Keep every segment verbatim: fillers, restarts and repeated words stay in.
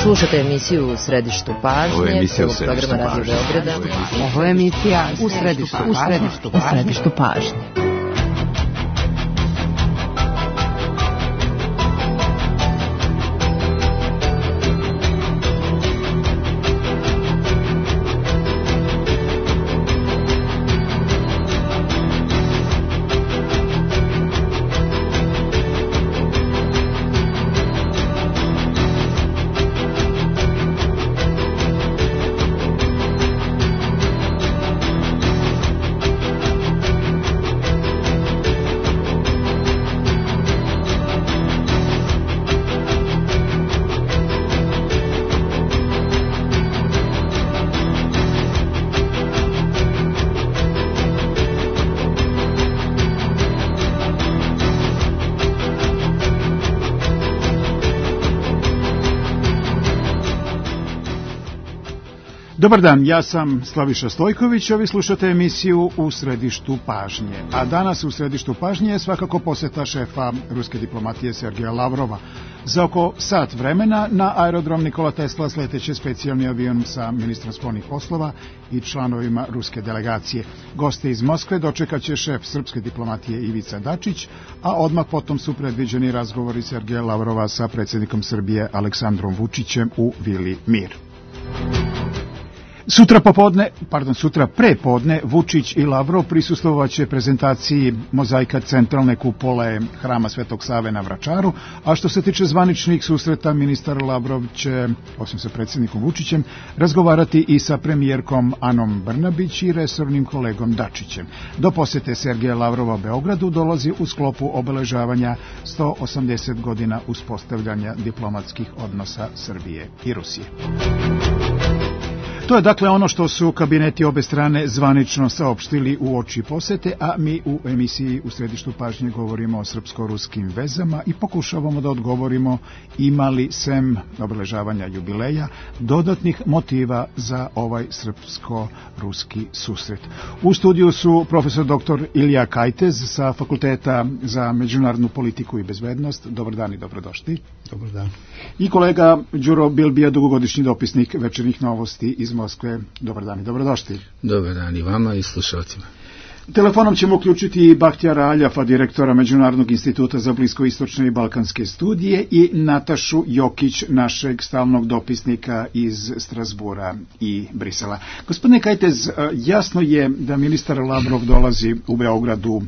Slušate emisiju U središtu pažnje. Ovo je emisija U središtu pažnje. Ovo je emisija U središtu pažnje. U središtu pažnje. Dobar dan, ja sam Slaviša Stojković, a vi slušate emisiju U središtu pažnje. A danas u središtu pažnje je svakako poseta šefa ruske diplomatije Sergeja Lavrova. Za oko sat vremena na aerodrom Nikola Tesla sleteće specijalni avion sa ministrom spoljnih poslova i članovima ruske delegacije. Goste iz Moskve dočekat će šef srpske diplomatije Ivica Dačić, a odmah potom su predviđeni razgovori Sergeja Lavrova sa predsjednikom Srbije Aleksandrom Vučićem u Vili Mir. Sutra popodne, pardon, sutra prepodne Vučić i Lavrov prisustvovaće prezentaciji mozaika centralne kupole Hrama Svetog Save na Vračaru, a što se tiče zvaničnih susreta, ministar Lavrov će, osim sa predsjednikom Vučićem, razgovarati i sa premijerkom Anom Brnabić i resornim kolegom Dačićem. Do posete Sergeja Lavrova Beogradu dolazi u sklopu obeležavanja sto osamdeset godina uspostavljanja diplomatskih odnosa Srbije i Rusije. To je dakle ono što su kabineti obe strane zvanično saopštili u oči posete, a mi u emisiji U središtu pažnje govorimo o srpsko-ruskim vezama i pokušavamo da odgovorimo ima li sem obeležavanja jubileja dodatnih motiva za ovaj srpsko-ruski susret. U studiju su profesor doktor Ilija Kajtez sa Fakulteta za međunarodnu politiku i bezbednost. Dobar dan i dobrodošli. Dobar dan. I kolega Đuro Bilbija, dugogodišnji dopisnik Večernjih novosti iz Moskve. Dobar dan i dobrodošli. Dobar dan i vama i slušalcima. Telefonom ćemo uključiti i Bahtijara Aljafa, direktora Međunarodnog instituta za bliskoistočne i balkanske studije, i Natašu Jokić, našeg stalnog dopisnika iz Strasbura i Brisela. Gospodine Kajtez, jasno je da ministar Lavrov dolazi u Beograd u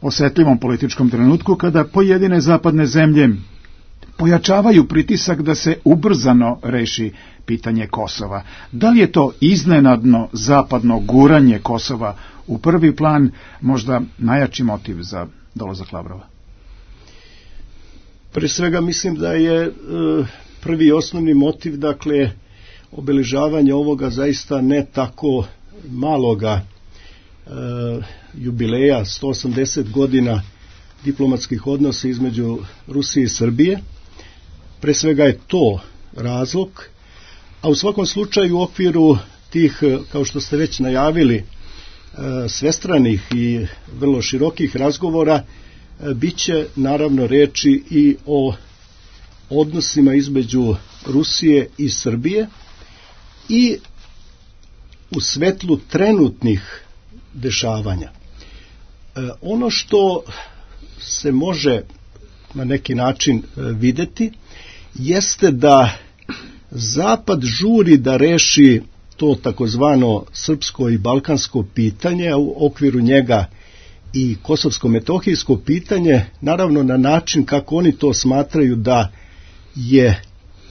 osetljivom političkom trenutku kada pojedine zapadne zemlje pojačavaju pritisak da se ubrzano reši pitanje Kosova. Da li je to iznenadno zapadno guranje Kosova u prvi plan možda najjači motiv za dolazak Lavrova? Pre svega mislim da je e, prvi i osnovni motiv, dakle, obeležavanje ovoga zaista ne tako maloga e, jubileja, sto osamdeset godina diplomatskih odnosa između Rusije i Srbije. Pre svega je to razlog, a u svakom slučaju u okviru tih, kao što ste već najavili, svestranih i vrlo širokih razgovora bit će naravno reči i o odnosima između Rusije i Srbije i u svetlu trenutnih dešavanja. Ono što se može na neki način videti jeste da Zapad žuri da reši to takozvano srpsko i balkansko pitanje, a u okviru njega i kosovsko-metohijsko pitanje, naravno na način kako oni to smatraju da je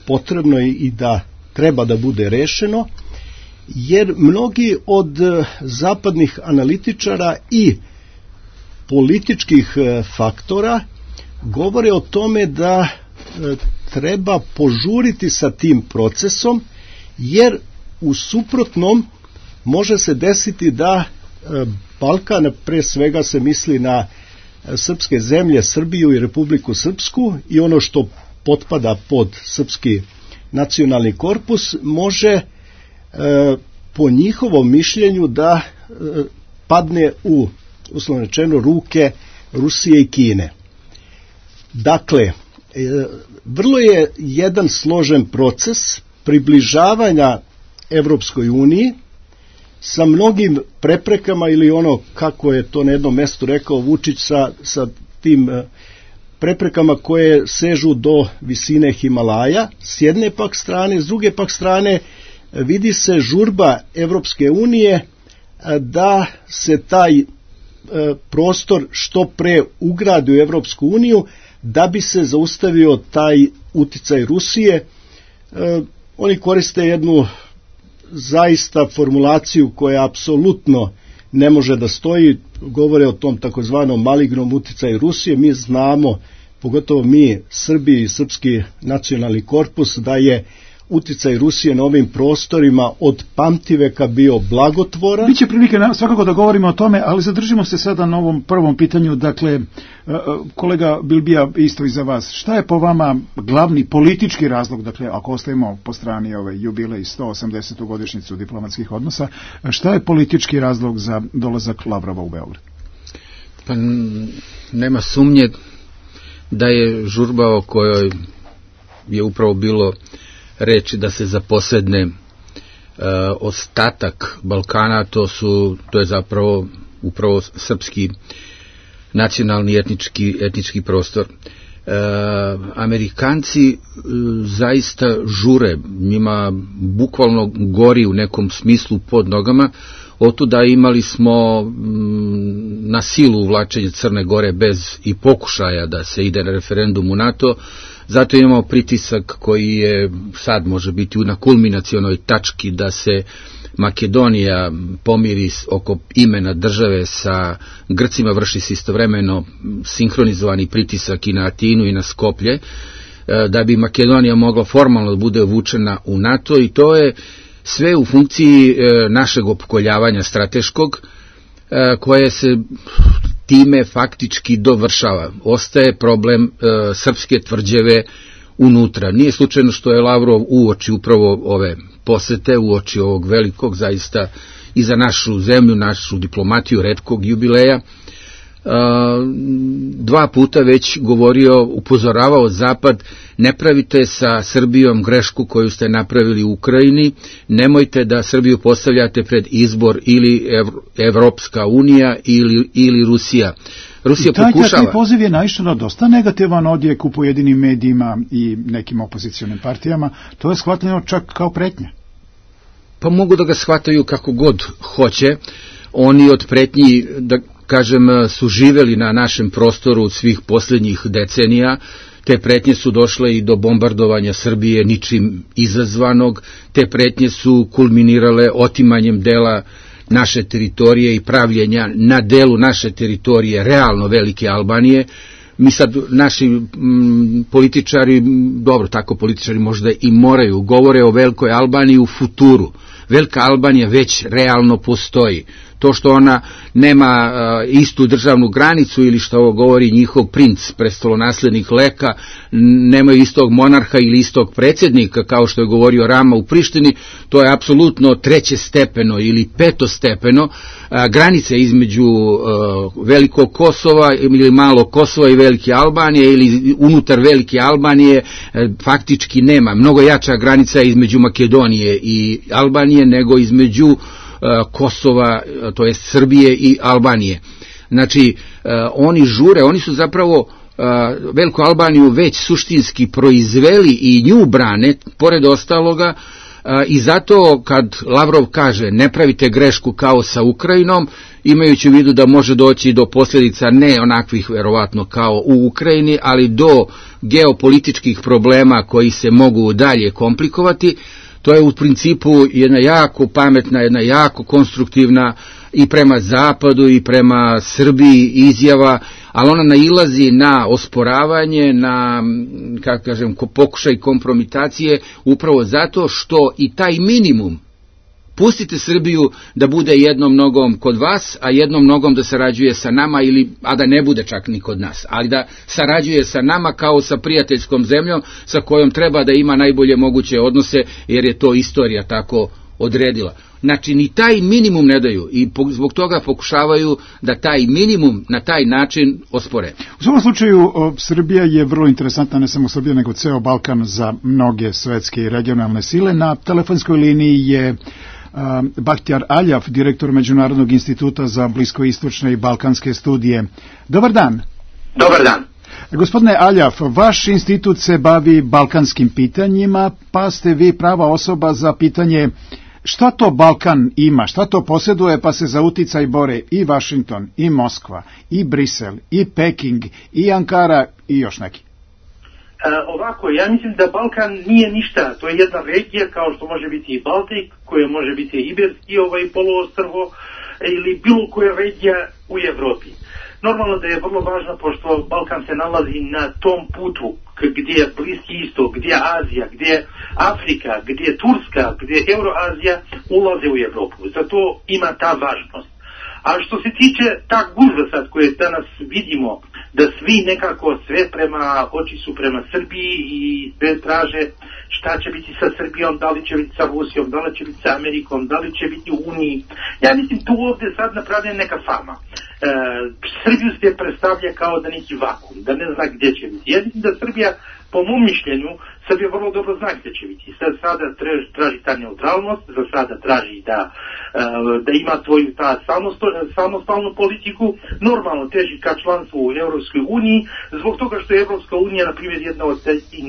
potrebno i da treba da bude rešeno, jer mnogi od zapadnih analitičara i političkih faktora govore o tome da treba požuriti sa tim procesom, jer u suprotnom može se desiti da Balkan, pre svega se misli na srpske zemlje, Srbiju i Republiku Srpsku i ono što potpada pod srpski nacionalni korpus, može po njihovom mišljenju da padne u, uslovno rečeno, ruke Rusije i Kine. Dakle, vrlo je jedan složen proces približavanja Evropskoj uniji sa mnogim preprekama ili ono kako je to na jednom mestu rekao Vučić sa, sa tim preprekama koje sežu do visine Himalaja s jedne pak strane, s druge pak strane vidi se žurba Evropske unije da se taj prostor što pre ugradi u Evropsku uniju da bi se zaustavio taj uticaj Rusije. Oni koriste jednu zaista formulaciju koja apsolutno ne može da stoji, govore o tom takozvanom malignom uticaju Rusije. Mi znamo, pogotovo mi Srbi i Srpski nacionalni korpus, da je uticaj Rusije na ovim prostorima od pamtiveka bio blagotvoran. Biće prilike svakako da govorimo o tome, ali zadržimo se sada na ovom prvom pitanju. Dakle, kolega Bilbija, isto i za vas, šta je po vama glavni politički razlog, dakle, ako ostavimo po strani ove jubilej sto osamdesetu godišnjicu diplomatskih odnosa, šta je politički razlog za dolazak Lavrova u Beograd? Pa nema sumnje da je žurba o kojoj je upravo bilo reči da se zaposedne e, ostatak Balkana, to su to je zapravo upravo srpski nacionalni etnički etnički prostor. E, Amerikanci e, zaista žure, njima bukvalno gori u nekom smislu pod nogama. Otuda imali smo m, na silu uvlačenje Crne Gore bez i pokušaja da se ide na referendum u NATO. Zato imamo pritisak koji je sad može biti na kulminacionoj tački da se Makedonija pomiri oko imena države sa Grcima, vrši se istovremeno sinhronizovani pritisak i na Atinu i na Skoplje, da bi Makedonija mogla formalno da bude uvučena u NATO, i to je sve u funkciji našeg opkoljavanja strateškog, koje se time faktički dovršava. Ostaje problem e, srpske tvrđave unutra. Nije slučajno što je Lavrov uoči upravo ove posete, uoči ovog velikog, zaista i za našu zemlju, našu diplomatiju, retkog jubileja, e, dva puta već govorio, upozoravao Zapad, ne pravite sa Srbijom grešku koju ste napravili u Ukrajini, nemojte da Srbiju postavljate pred izbor ili Evropska unija ili, ili Rusija. Rusija I taj, pokušava... taj poziv je naišao na dosta negativan odjek u pojedinim medijima i nekim opozicionim partijama. To je shvatljeno čak kao pretnja. Pa mogu da ga shvataju kako god hoće. Oni od pretnji, da kažem, su živeli na našem prostoru svih posljednjih decenija. Te pretnje su došle i do bombardovanja Srbije ničim izazvanog. Te pretnje su kulminirale otimanjem dela naše teritorije i pravljenja na delu naše teritorije realno velike Albanije. Mi sad, naši m, političari, dobro, tako političari možda i moraju, govore o velikoj Albaniji u futuru. Velika Albanija već realno postoji. To što ona nema uh, istu državnu granicu ili što ovo govori njihov princ, prestolonaslednik Leka, nemaju istog monarha ili istog predsjednika, kao što je govorio Rama u Prištini, to je apsolutno trećestepeno ili petostepeno. Uh, granice između uh, velikog Kosova ili malog Kosova i velike Albanije ili unutar velike Albanije uh, faktički nema. Mnogo jača granica između Makedonije i Albanije nego između Kosova, to jest Srbije i Albanije. Znači, oni žure, oni su zapravo Veliku Albaniju već suštinski proizveli i nju brane, pored ostaloga, i zato kad Lavrov kaže ne pravite grešku kao sa Ukrajinom, imajući u vidu da može doći do posljedica ne onakvih verovatno kao u Ukrajini, ali do geopolitičkih problema koji se mogu dalje komplikovati. To je u principu jedna jako pametna, jedna jako konstruktivna i prema Zapadu i prema Srbiji izjava, ali ona nailazi na osporavanje, na, kako kažem, pokušaj kompromitacije, upravo zato što i taj minimum, pustite Srbiju da bude jednom nogom kod vas, a jednom nogom da sarađuje sa nama, ili, a da ne bude čak ni kod nas, ali da sarađuje sa nama kao sa prijateljskom zemljom sa kojom treba da ima najbolje moguće odnose, jer je to istorija tako odredila. Znači, ni taj minimum ne daju i zbog toga pokušavaju da taj minimum na taj način ospore. U svakom slučaju, Srbija je vrlo interesantna, ne samo Srbija, nego ceo Balkan za mnoge svetske i regionalne sile. Na telefonskoj liniji je Bahtjar Aljaf, direktor Međunarodnog instituta za bliskoistočne i balkanske studije. Dobar dan. Dobar dan. Gospodine Aljaf, vaš institut se bavi balkanskim pitanjima, pa ste vi prava osoba za pitanje šta to Balkan ima, šta to posjeduje, pa se za uticaj bore i Vašington, i Moskva, i Brisel, i Peking, i Ankara i još neki. E, ovako, ja mislim da Balkan nije ništa, to je jedna regija kao što može biti i Baltik, koja može biti i Iberski ovaj poluostrvo ili bilo koja regija u Evropi. Normalno da je vrlo važno, pošto Balkan se nalazi na tom putu gdje je Bliski istok, gdje je Azija, gdje je Afrika, gdje je Turska, gdje je Euroazija, ulaze u Evropu. Zato ima ta važnost. A što se tiče ta gužva sad koje danas vidimo, da svi nekako sve prema, oči su prema Srbiji i sve traže šta će biti sa Srbijom, da li će biti sa Rusijom, da li će biti sa Amerikom, da li će biti u Uniji. Ja mislim tu ovdje sad napravljena neka fama. E, Srbiju se predstavlja kao da neki vakum, da ne zna gdje će biti. Ja mislim da Srbija, po mom mišljenju, Srbija vrlo dobro zna gdje će biti. Sad sada traži, traži ta neutralnost, za sada traži da, da ima svoju ta samostalnu politiku, normalno teži ka članstvu u Europskoj uniji, zbog toga što je Europska unija, na primjer, jedna od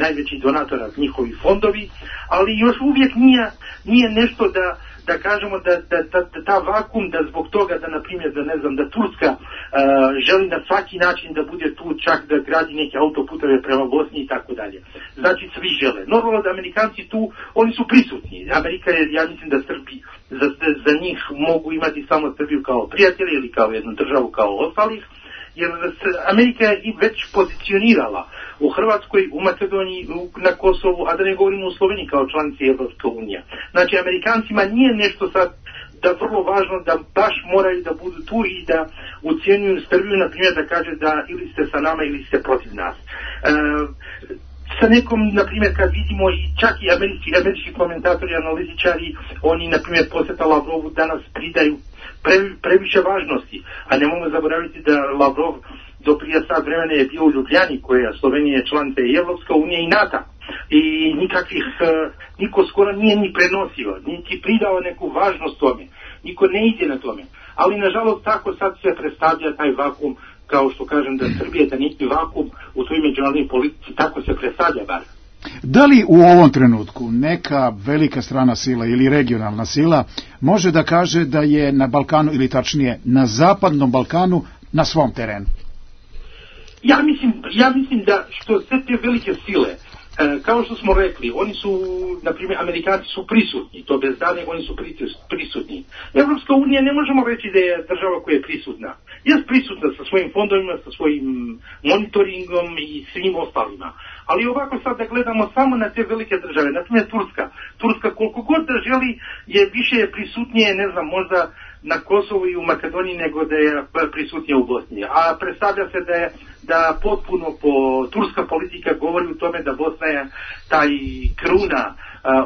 najvećih donatora njihovi fondovi, ali još uvijek nije, nije nešto da da kažemo da, da, da, da ta vakum, da zbog toga da, na primjer, da ne znam, da Turska uh, želi na svaki način da bude tu, čak da gradi neke autoputeve prema Bosni i tako dalje. Znači, svi žele. Normalno da Amerikanci tu, oni su prisutni. Amerika je, ja mislim da Srbi, za, za njih mogu imati samo Srbiju kao prijatelje ili kao jednu državu kao ostalih, jer Amerika je i već pozicionirala u Hrvatskoj, u Makedoniji, na Kosovu, a da ne govorimo u Sloveniji kao članici Evropske unije. Znači, Amerikancima nije nešto sad da vrlo važno da baš moraju da budu tu i da ucijenjuju Srbiju, na primjer, da kaže da ili ste sa nama ili ste protiv nas. E, sa nekom, na primjer, kad vidimo i čak i američki, američki komentatori, analitičari, oni, na primjer, posjeta Lavrovu danas pridaju pre, previše važnosti, a ne mogu zaboraviti da Lavrov do prije sad vremena je bio u Ljubljani, koja Slovenija je članica i Evropska unija i NATO. I nikakvih, niko skoro nije ni prenosio, niti pridao neku važnost tome. Niko ne ide na tome. Ali, nažalost, tako sad se predstavlja taj vakum, kao što kažem da Srbija da neki vakum u toj međunarodnoj politici, tako se predstavlja bar. Da li u ovom trenutku neka velika strana sila ili regionalna sila može da kaže da je na Balkanu, ili tačnije na zapadnom Balkanu, na svom terenu? Ja mislim, ja mislim da što sve te velike sile, e, kao što smo rekli, oni su, na primjer, Amerikanci su prisutni, to bez dane, oni su prisutni. Evropska unija ne možemo reći da je država koja je prisutna. Jest prisutna sa svojim fondovima, sa svojim monitoringom i svim ostalima. Ali ovako sad da gledamo samo na te velike države, na primjer Turska. Turska koliko god da želi je više prisutnije, ne znam, možda na Kosovu i u Makedoniji nego da je prisutnija u Bosni. A predstavlja se da je da potpuno po turska politika govori u tome da Bosna je taj kruna uh,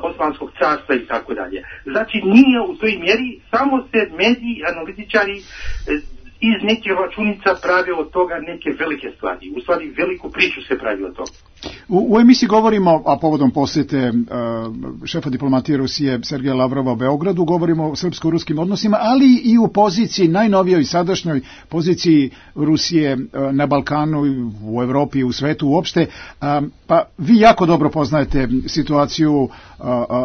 Osmanskog carstva i tako dalje. Znači nije u toj mjeri, samo se mediji, analitičari iz nekih računica prave od toga neke velike stvari. U stvari veliku priču se pravi od toga. U, u emisiji govorimo, a povodom posjete uh, šefa diplomatije Rusije Sergeja Lavrova u Beogradu, govorimo o srpsko-ruskim odnosima, ali i u poziciji, najnovijoj i sadašnjoj poziciji Rusije uh, na Balkanu, u Evropi i u svetu uopšte. Uh, pa vi jako dobro poznajete situaciju uh,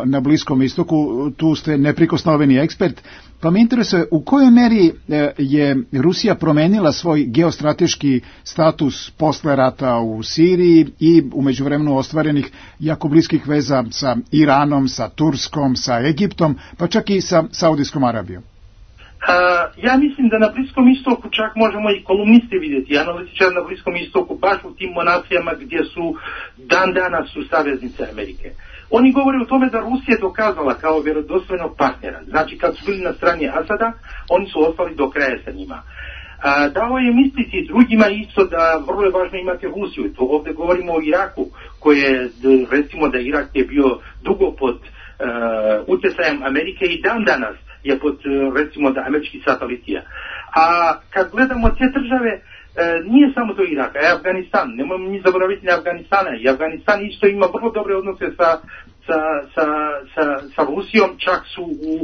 na Bliskom istoku, tu ste neprikosnoveni ekspert, pa me interesuje u kojoj meri je Rusija promenila svoj geostrateški status posle rata u Siriji i u međuvremenu ostvarenih jako bliskih veza sa Iranom, sa Turskom, sa Egiptom, pa čak i sa Saudijskom Arabijom. Uh, ja mislim da na Bliskom istoku čak možemo i kolumniste vidjeti, analitičari na Bliskom istoku, baš u tim monarhijama gdje su dan danas su saveznice Amerike. Oni govore o tome da Rusija je dokazala kao vjerodostojnog partnera. Znači kad su bili na strani Asada, oni su ostali do kraja sa njima. A, dao je misliti drugima isto da vrlo je važno imati Rusiju. To ovdje govorimo o Iraku, koje recimo da Irak je bio dugo pod uh, utjecajem Amerike i dan danas je pod, recimo, da američki satelitija. A kad gledamo te države, e, nije samo to Irak, a Afganistan, nemojmo ni zaboraviti na Afganistana, i Afganistan isto ima vrlo dobre odnose sa, sa, sa, sa, sa Rusijom, čak su u,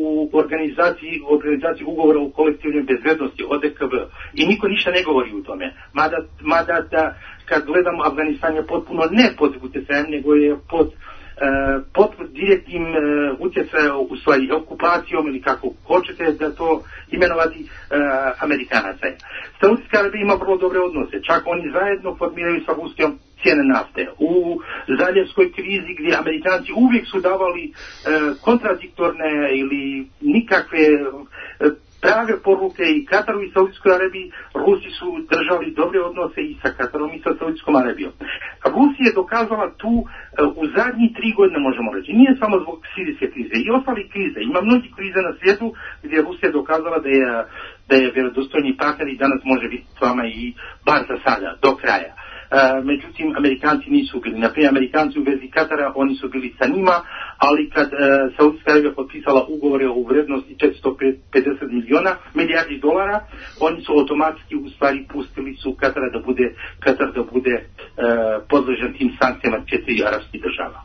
u organizaciji, organizaciji ugovora o kolektivnoj bezbednosti, O D K B, i niko ništa ne govori u tome, mada, mada da, kad gledamo, Afganistan je potpuno ne pod utjecajem, nego je pod pod direktnim utjecajem, u stvari okupacijom ili kako hoćete da to imenovati, uh, Amerikanaca. Saudijska Arabija ima vrlo dobre odnose, čak oni zajedno formiraju sa Rusijom cijene nafte. U zaljevskoj krizi gdje Amerikanci uvijek su davali uh, kontradiktorne ili nikakve uh, prave poruke i Kataru i Saudijskoj Arabiji, Rusi su držali dobre odnose i sa Katarom i sa Saudijskom Arabijom. Rusija je dokazala tu uh, u zadnjih tri godine, možemo reći, nije samo zbog sirijske krize i ostali krize. Ima mnogi krize na svijetu gdje Rusija je dokazala da je, da je vjerodostojni partner i danas može biti s vama i bar za sada, do kraja. Uh, međutim, Amerikanci nisu bili. Naprimjer, Amerikanci u vezi Katara, oni su bili sa njima, ali kad uh, Saudijska Arabija potpisala ugovore o vrednosti četiristo pedeset miliona, milijardi dolara, oni su automatski u stvari pustili su Katara da bude, Katar da bude uh, podložen tim sankcijama četiri arapskih država.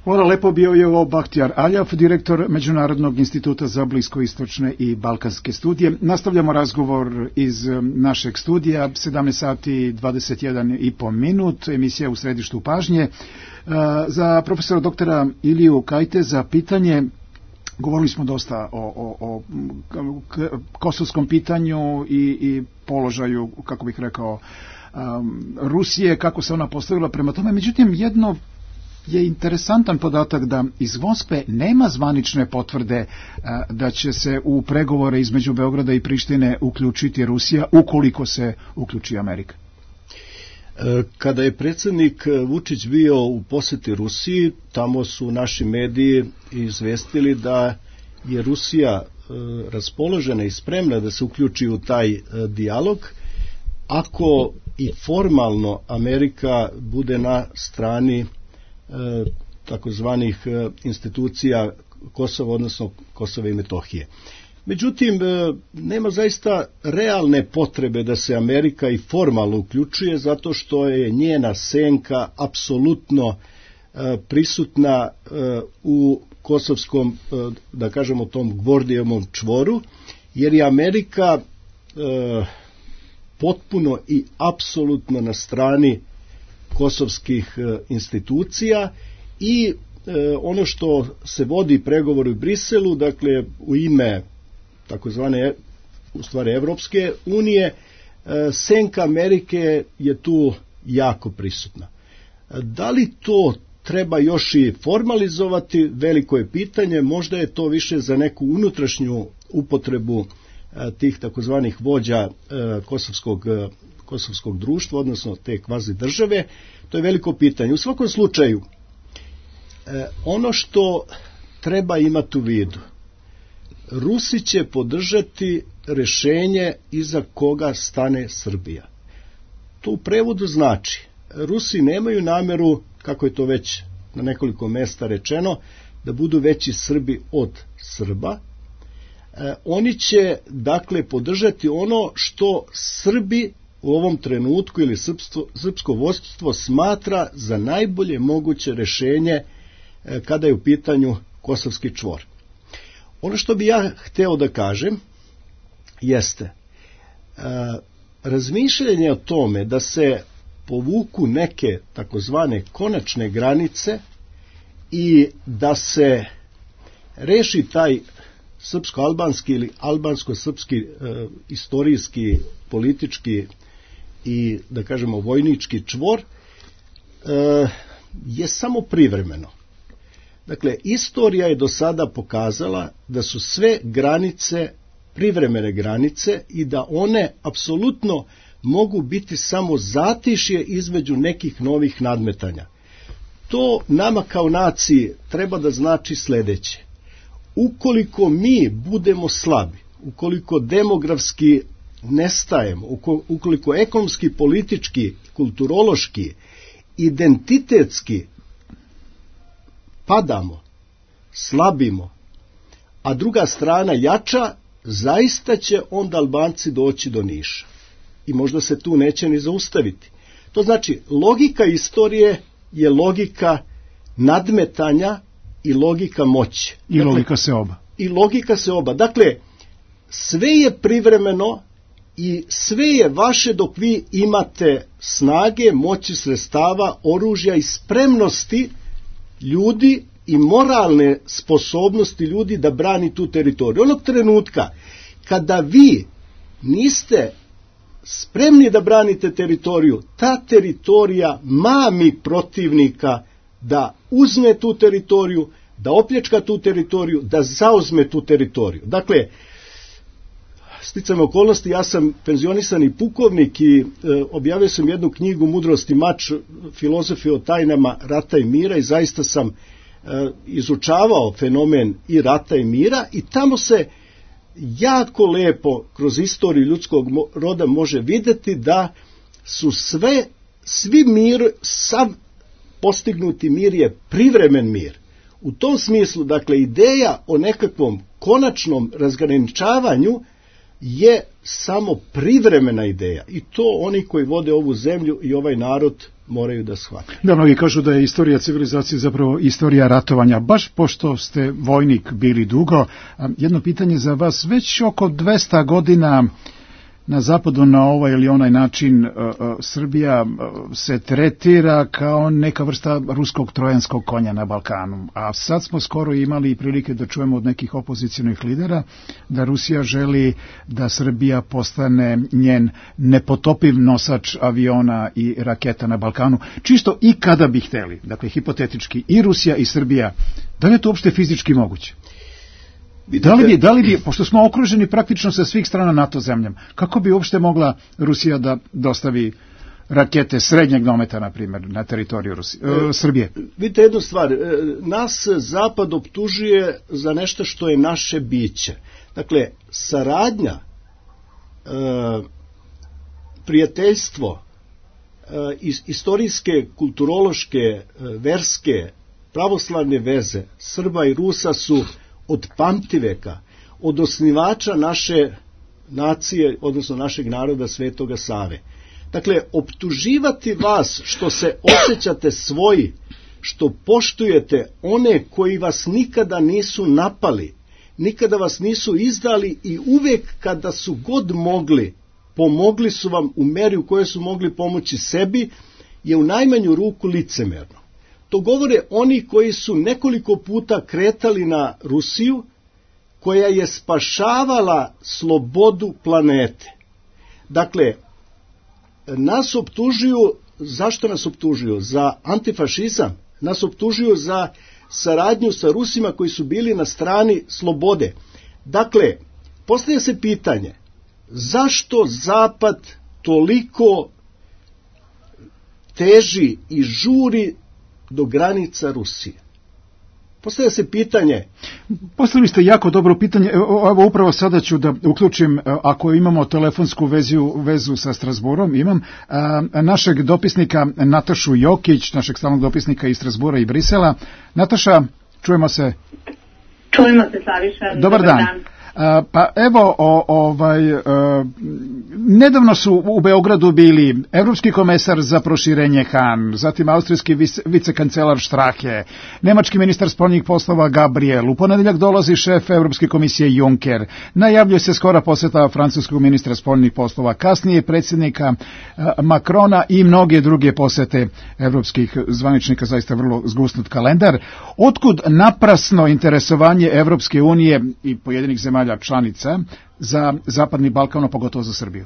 Hvala lepo, bio je ovo Bahtjar Aljaf, direktor Međunarodnog instituta za bliskoistočne i balkanske studije. Nastavljamo razgovor iz našeg studija, sedamnaest sati dvadeset jedan i po minut, emisija u središtu pažnje. Za profesora doktora Iliju Kajteza pitanje, govorili smo dosta o, o, o kosovskom pitanju i, i položaju, kako bih rekao, Rusije, kako se ona postavila prema tome. Međutim, jedno je interesantan podatak da iz Moskve nema zvanične potvrde da će se u pregovore između Beograda i Prištine uključiti Rusija ukoliko se uključi Amerika. Kada je predsjednik Vučić bio u posjeti Rusiji, tamo su naši mediji izvestili da je Rusija raspoložena i spremna da se uključi u taj dijalog, ako i formalno Amerika bude na strani takozvanih institucija Kosova, odnosno Kosova i Metohije. Međutim, nema zaista realne potrebe da se Amerika i formalno uključuje, zato što je njena senka apsolutno prisutna u kosovskom, da kažemo, tom Gvordijevom čvoru, jer je Amerika potpuno i apsolutno na strani kosovskih institucija i e, ono što se vodi pregovor u Briselu, dakle u ime takozvane u stvari Evropske unije, e, senka Amerike je tu jako prisutna. Da li to treba još i formalizovati, veliko je pitanje, možda je to više za neku unutrašnju upotrebu e, tih takozvanih vođa e, kosovskog kosovskog društva, odnosno te kvazi države, to je veliko pitanje. U svakom slučaju, eh, ono što treba imati u vidu, Rusi će podržati rješenje iza koga stane Srbija. To u prevodu znači, Rusi nemaju namjeru, kako je to već na nekoliko mjesta rečeno, da budu veći Srbi od Srba. Eh, oni će, dakle, podržati ono što Srbi u ovom trenutku ili srpstvo, srpsko vodstvo smatra za najbolje moguće rješenje e, kada je u pitanju kosovski čvor. Ono što bi ja hteo da kažem jeste e, razmišljanje o tome da se povuku neke takozvane konačne granice i da se reši taj srpsko-albanski ili albansko-srpski e, istorijski, politički i, da kažemo, vojnički čvor e, je samo privremeno. Dakle, istorija je do sada pokazala da su sve granice privremene granice i da one apsolutno mogu biti samo zatišje između nekih novih nadmetanja. To nama kao naciji treba da znači sljedeće. Ukoliko mi budemo slabi, ukoliko demografski nestajemo, ukoliko ekonomski, politički, kulturološki, identitetski padamo, slabimo, a druga strana jača, zaista će onda Albanci doći do Niša. I možda se tu neće ni zaustaviti. To znači, logika istorije je logika nadmetanja i logika moći. I dakle, logika se oba. I logika se oba. Dakle, sve je privremeno i sve je vaše dok vi imate snage, moći, sredstava, oružja i spremnosti ljudi i moralne sposobnosti ljudi da brani tu teritoriju. Onog trenutka kada vi niste spremni da branite teritoriju, ta teritorija mami protivnika da uzme tu teritoriju, da opljačka tu teritoriju, da zauzme tu teritoriju. Dakle, sticajem okolnosti, ja sam penzionisani pukovnik i e, objavio sam jednu knjigu Mudrost i mač, filozofije o tajnama rata i mira i zaista sam e, izučavao fenomen i rata i mira i tamo se jako lepo kroz istoriju ljudskog roda može vidjeti da su sve, svi mir, sav postignuti mir je privremen mir. U tom smislu, dakle, ideja o nekakvom konačnom razgraničavanju je samo privremena ideja i to oni koji vode ovu zemlju i ovaj narod moraju da shvate. Da, mnogi kažu da je istorija civilizacije zapravo istorija ratovanja. Baš pošto ste vojnik bili dugo, jedno pitanje za vas. Već oko dvesta godina na zapadu na ovaj ili onaj način uh, uh, Srbija uh, se tretira kao neka vrsta ruskog trojanskog konja na Balkanu. A sad smo skoro imali prilike da čujemo od nekih opozicionih lidera da Rusija želi da Srbija postane njen nepotopiv nosač aviona i raketa na Balkanu. Čisto i kada bi hteli, dakle hipotetički i Rusija i Srbija, da li je to uopšte fizički moguće? Da li bi, da li bi, pošto smo okruženi praktično sa svih strana NATO zemljama, kako bi uopšte mogla Rusija da dostavi rakete srednjeg dometa, na primjer, na teritoriju Rusije, e, Srbije? Vidite jednu stvar, nas Zapad optužuje za nešto što je naše biće. Dakle, saradnja, e, prijateljstvo, e, istorijske, kulturološke, verske, pravoslavne veze Srba i Rusa su od pamtiveka, od osnivača naše nacije, odnosno našeg naroda Svetoga Save. Dakle, optuživati vas što se osjećate svoji, što poštujete one koji vas nikada nisu napali, nikada vas nisu izdali i uvek kada su god mogli, pomogli su vam u meri u kojoj su mogli pomoći sebi, je u najmanju ruku licemerno. To govore oni koji su nekoliko puta kretali na Rusiju, koja je spašavala slobodu planete. Dakle, nas optužuju, zašto nas optužuju? Za antifašizam, nas optužuju za saradnju sa Rusima koji su bili na strani slobode. Dakle, postavlja se pitanje, zašto Zapad toliko teži i žuri do granica Rusije? Postavlja se pitanje. Postavili ste jako dobro pitanje. Evo upravo sada ću da uključim, ako imamo telefonsku vezu, vezu sa Strasburom, imam a, našeg dopisnika Natašu Jokić, našeg stalnog dopisnika iz Strasbura i Brisela. Nataša, čujemo se. Čujemo se, Slaviša. Dobar, Dobar dan. dan. A, pa evo, o, ovaj, a, nedavno su u Beogradu bili evropski komesar za proširenje Han, zatim austrijski vice, vicekancelar Strahe, nemački ministar spoljnih poslova Gabriel, u ponedeljak dolazi šef Evropske komisije Juncker, najavljuje se skora poseta francuskog ministra spoljnih poslova, kasnije predsjednika a, Macrona i mnoge druge posete evropskih zvaničnika, zaista vrlo zgusnut kalendar. Otkud naprasno interesovanje Evropske unije i pojedinih zemalja članica za Zapadni Balkan, pogotovo za Srbiju?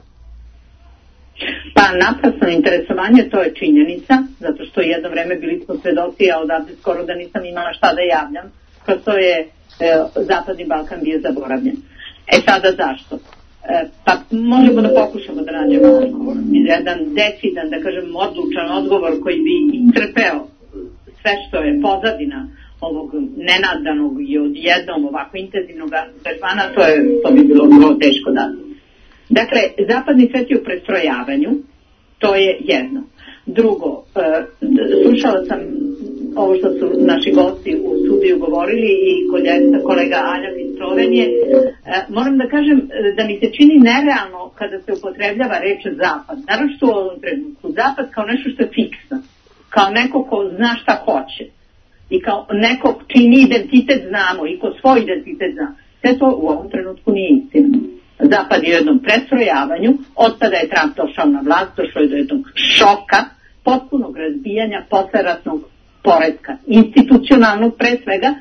Pa naprasno interesovanje, to je činjenica, zato što jedno vreme bili smo svedoci, a odavde skoro da nisam imala šta da javljam, kroz to je e, Zapadni Balkan bio zaboravljen. E sada zašto? E, pa možemo da pokušamo da nađemo odgovor. Jedan decidan, da kažem, odlučan odgovor koji bi istrpeo sve što je pozadina ovog nenadanog i odjednom ovako intenzivnog angažmana, to je, to bi bilo vrlo teško dati. Dakle, zapadni svet je u prestrojavanju, to je jedno. Drugo, e, slušala sam ovo što su naši gosti u studiju govorili i kolega Aljak iz Slovenije, moram da kažem da mi se čini nerealno kada se upotrebljava reč zapad, naročito u ovom trenutku, zapad kao nešto što je fiksno, kao neko ko zna šta hoće i kao neko čini identitet znamo i ko svoj identitet zna. Sve to u ovom trenutku nije istina. Zapad je u jednom prestrojavanju, od tada je Trump došao na vlast, došao je do jednog šoka, potpunog razbijanja posleratnog poretka, institucionalnog pre svega,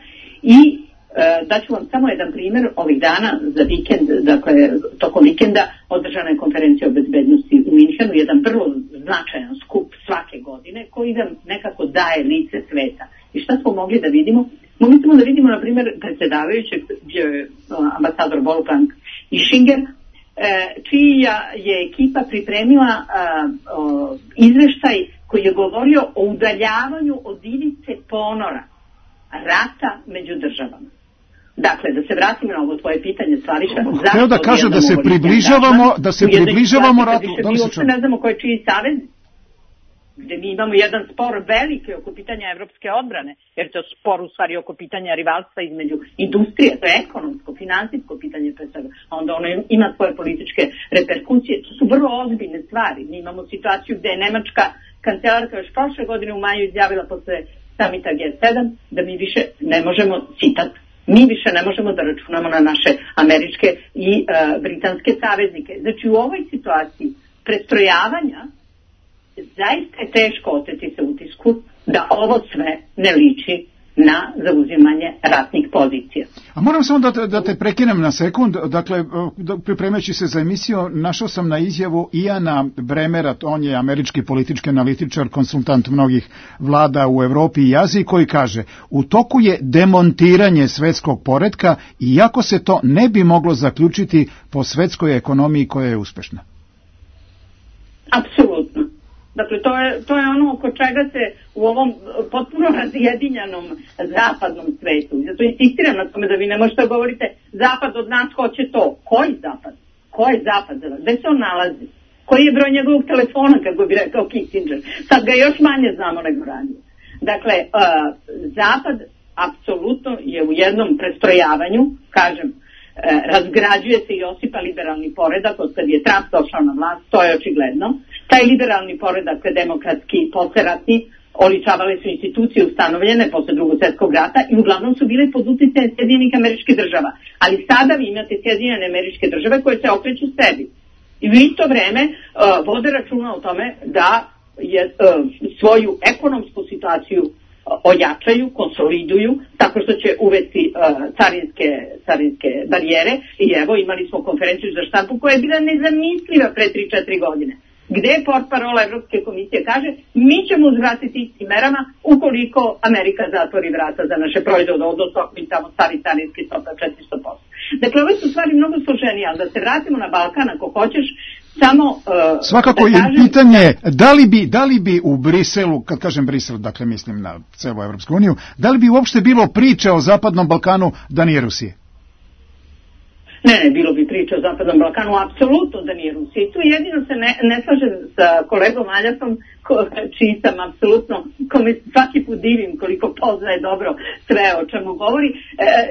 i e, daću vam samo jedan primjer. Ovih dana za vikend, dakle tokom vikenda održana je konferencija o bezbednosti u Minhenu, jedan vrlo značajan skup svake godine koji nam nekako daje lice sveta. I šta smo mogli da vidimo? Mogli smo da vidimo, na primjer, predsjedavajućeg, gdje je ambasador Wolfgang Ischinger, e, čija je ekipa pripremila a, o, izveštaj koji je govorio o udaljavanju od ivice ponora rata među državama. Dakle, da se vratimo na ovo tvoje pitanje, Slaviša, hteo da kaže da se približavamo, da se približavamo ratu. Da mi uopšte ne znamo ko je čiji savez, gde mi imamo jedan spor veliki oko pitanja evropske odbrane, jer to je spor u stvari oko pitanja rivalstva između industrije, to je ekonomsko, finansijsko pitanje pre svega, a onda ono ima svoje političke reperkusije. To su vrlo ozbiljne stvari. Mi imamo situaciju gde je nemačka kancelarka još prošle godine u maju izjavila posle samita G sedam da mi više ne možemo, citat, mi više ne možemo da računamo na naše američke i uh, britanske saveznike. Znači u ovoj situaciji prestrojavanja zaista je teško oteti se utisku da ovo sve ne liči na zauzimanje ratnih pozicija. A moram samo da te, da te prekinem na sekund. Dakle, pripremajući se za emisiju, našao sam na izjavu Iana Bremera, on je američki politički analitičar, konsultant mnogih vlada u Evropi i Aziji, koji kaže: u toku je demontiranje svetskog poretka, iako se to ne bi moglo zaključiti po svetskoj ekonomiji koja je uspešna. Apsolutno. Dakle, to je, to je ono oko čega se u ovom potpuno razjedinjanom zapadnom svetu. Zato insistiram na tome da vi ne možete da govorite zapad od nas hoće to. Koji zapad? Ko je zapad? Gde se on nalazi? Koji je broj njegovog telefona, kako bi rekao Kissinger? Sad ga još manje znamo nego ranije. Dakle, uh, zapad apsolutno je u jednom prestrojavanju, kažem, razgrađuje se i osipa liberalni poredak od kad je Trump došao na vlast, to je očigledno. Taj liberalni poredak, demokratski, posleratni, oličavale su institucije ustanovljene posle Drugog svjetskog rata i uglavnom su bile pod uticajem Sjedinjenih Američkih Država. Ali sada vi imate Sjedinjene Američke Države koje se okreću sebi. I u isto vreme uh, vode računa o tome da je uh, svoju ekonomsku situaciju ojačaju, konsoliduju, tako što će uvesti uh, carinske, carinske barijere. I evo, imali smo konferenciju za štampu koja je bila nezamisliva pre tri četiri godine, gde je portparola Evropske komisije kaže: mi ćemo uzvratiti istim merama ukoliko Amerika zatvori vrata za naše proizvode, odnosno ako im tamo stavi carinski stopa četiristo posto. Dakle, ove su stvari mnogo složenije, ali da se vratimo na Balkan, ako hoćeš, samo... Uh, Svakako da kažem, je pitanje, da li, bi, da li bi u Briselu, kad kažem Brisel, dakle mislim na celu Evropsku uniju, da li bi uopšte bilo priče o Zapadnom Balkanu da nije Rusije? Ne, ne, bilo bi priča o Zapadnom Balkanu, apsolutno da nije Rusija. I tu jedino se ne, ne slažem sa kolegom Aljasom, ko, čiji sam apsolutno, kome svaki put divim koliko poznaje dobro sve o čemu govori, e,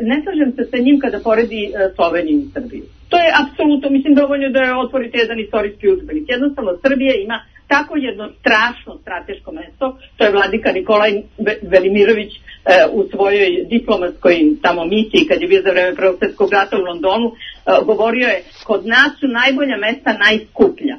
ne slažem se sa njim kada poredi e, Sloveniju i Srbiju. To je apsolutno, mislim, dovoljno da je otvorite jedan istorijski udžbenik. Jednostavno, Srbija ima tako jedno strašno strateško mesto, to je vladika Nikolaj Velimirović e, u svojoj diplomatskoj tamo misiji, kad je bio za vreme Prvog svjetskog rata u Londonu, e, govorio je: kod nas su najbolja mesta najskuplja.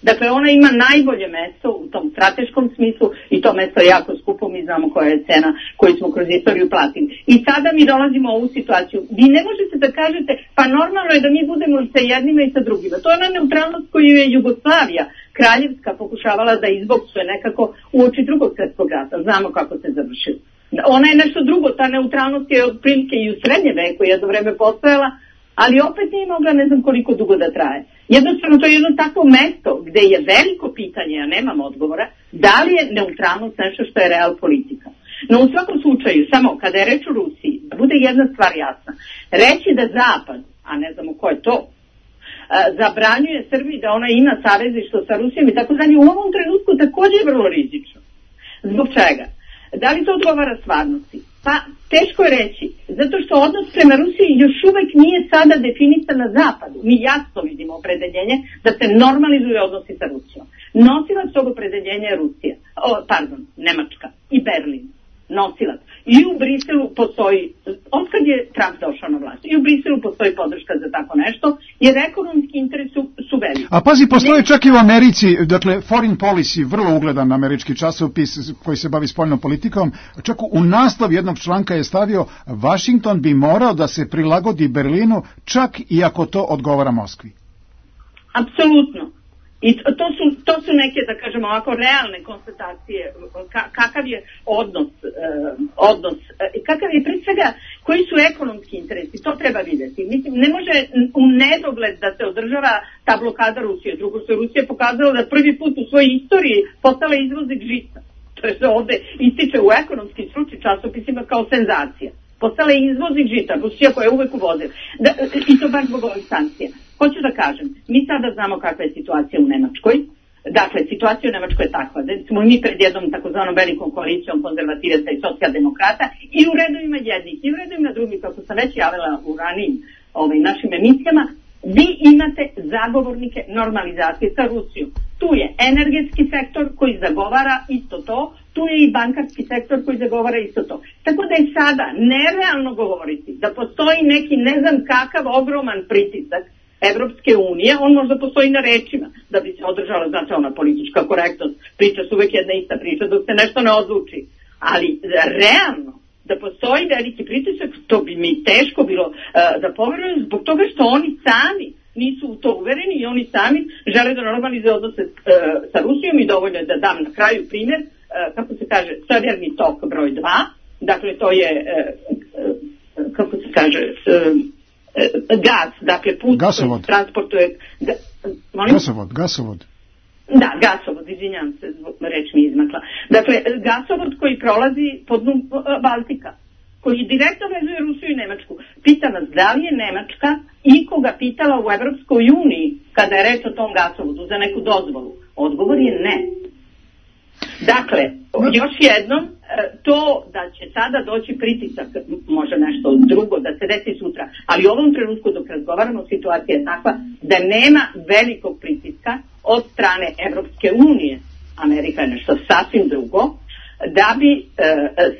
Dakle, ona ima najbolje mesto u tom strateškom smislu i to mesto je jako skupo, mi znamo koja je cena koju smo kroz istoriju platili. I sada mi dolazimo u ovu situaciju. Vi ne možete da kažete, pa normalno je da mi budemo i sa jednima i sa drugima. To je ona neutralnost koju je Jugoslavija kraljevska pokušavala da izboksuje nekako u oči Drugog svjetskog rata. Znamo kako se završilo. Ona je nešto drugo, ta neutralnost je otprilike i u srednje veku jedno vreme postojala, ali opet nije mogla ne znam koliko dugo da traje. Jednostavno, to je jedno takvo mesto gde je veliko pitanje, ja nemam odgovora, da li je neutralnost nešto što je real politika. No u svakom slučaju, samo kada je reč o Rusiji, da bude jedna stvar jasna, reći da Zapad, a ne znamo ko je to, zabranjuje Srbiji da ona ima savezništvo sa Rusijom i tako dalje, u ovom trenutku također je vrlo rizično. Zbog čega? Da li to odgovara stvarnosti? Pa teško je reći, zato što odnos prema Rusiji još uvek nije sada definisan na zapadu. Mi jasno vidimo opredeljenje da se normalizuje odnosi sa Rusijom. Nosilac tog opredeljenja je Rusija, o, pardon, Nemačka i Berlin. Nosilac. I u Briselu postoji, otkad je Trump došao na vlast, i u Briselu postoji podrška za tako nešto, jer ekonomski interes su, su veliki. A pazi, postoji ne... čak i u Americi, dakle, Foreign Policy, vrlo ugledan američki časopis koji se bavi spoljnom politikom, čak u naslov jednog članka je stavio Washington bi morao da se prilagodi Berlinu, čak i ako to odgovara Moskvi. Apsolutno. I to su, to su neke, da kažemo ovako, realne konstatacije, ka, kakav je odnos, eh, odnos eh, kakav je pre svega, koji su ekonomski interesi, to treba vidjeti. Mislim, ne može u nedogled da se održava ta blokada Rusije. Drugo, se Rusija pokazala da prvi put u svojoj istoriji postala izvoznik žita. To je se ovde ističe u ekonomskim stručnim časopisima kao senzacija. Postala je izvoznik žita, Rusija koja je uvek uvozila. Da, i to baš zbog ovih sankcija. Hoću da kažem, mi sada znamo kakva je situacija u Nemačkoj. Dakle, situacija u Nemačkoj je takva da smo mi pred jednom takozvanom velikom koalicijom konzervativaca i socijaldemokrata i u redovima jednih i u redovima drugih, kako sam već javila u ranijim ovaj, našim emisijama, vi imate zagovornike normalizacije sa Rusijom. Tu je energetski sektor koji zagovara isto to, tu je i bankarski sektor koji zagovara isto to. Tako da je sada nerealno govoriti da postoji neki ne znam kakav ogroman pritisak Evropske unije, on možda postoji na rečima da bi se održala, znate, ona politička korektnost, priča su uvek jedna ista priča dok se nešto ne odluči, ali realno da postoji veliki pritisak, to bi mi teško bilo uh, da poverujem zbog toga što oni sami nisu u to uvereni i oni sami žele da normalizuju odnose uh, sa Rusijom i dovoljno je da dam na kraju primjer, uh, kako se kaže, severni tok broj dva, dakle to je, uh, uh, kako se kaže, uh, gas, dakle put gasovod. Transportuje ga, gasovod, gasovod. Da, gasovod, izvinjam se, reč mi izmakla. Dakle, gasovod koji prolazi pod dnu Baltika, koji direktno vezuje Rusiju i Nemačku. Pita nas da li je Nemačka ikoga pitala u Evropskoj uniji kada je reč o tom gasovodu za neku dozvolu. Odgovor je ne. Dakle, još jednom, to da će sada doći pritisak, može nešto drugo da se desi sutra, ali u ovom trenutku dok razgovaramo situacija je takva da nema velikog pritiska od strane Evropske unije, Amerika je nešto sasvim drugo, da bi e,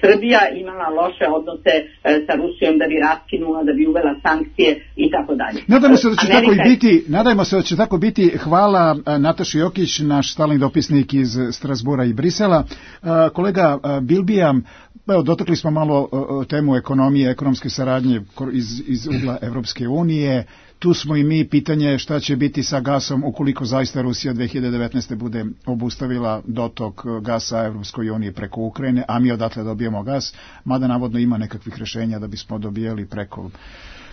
Srbija imala loše odnose e, sa Rusijom, da bi raskinula, da bi uvela sankcije i tako dalje. Nadajmo se da će Amerika... tako i biti, nadajmo se da će tako biti. Hvala Nataši Jokić, naš stalni dopisnik iz Strasbura i Brisela. Kolega Bilbija, evo, dotakli smo malo temu ekonomije, ekonomske saradnje iz, iz ugla Evropske unije. Tu smo i mi, pitanje šta će biti sa gasom ukoliko zaista Rusija dve hiljade devetnaeste. bude obustavila dotok gasa Evropskoj uniji preko Ukrajine, a mi odatle dobijemo gas, mada navodno ima nekakvih rješenja da bismo dobijali preko,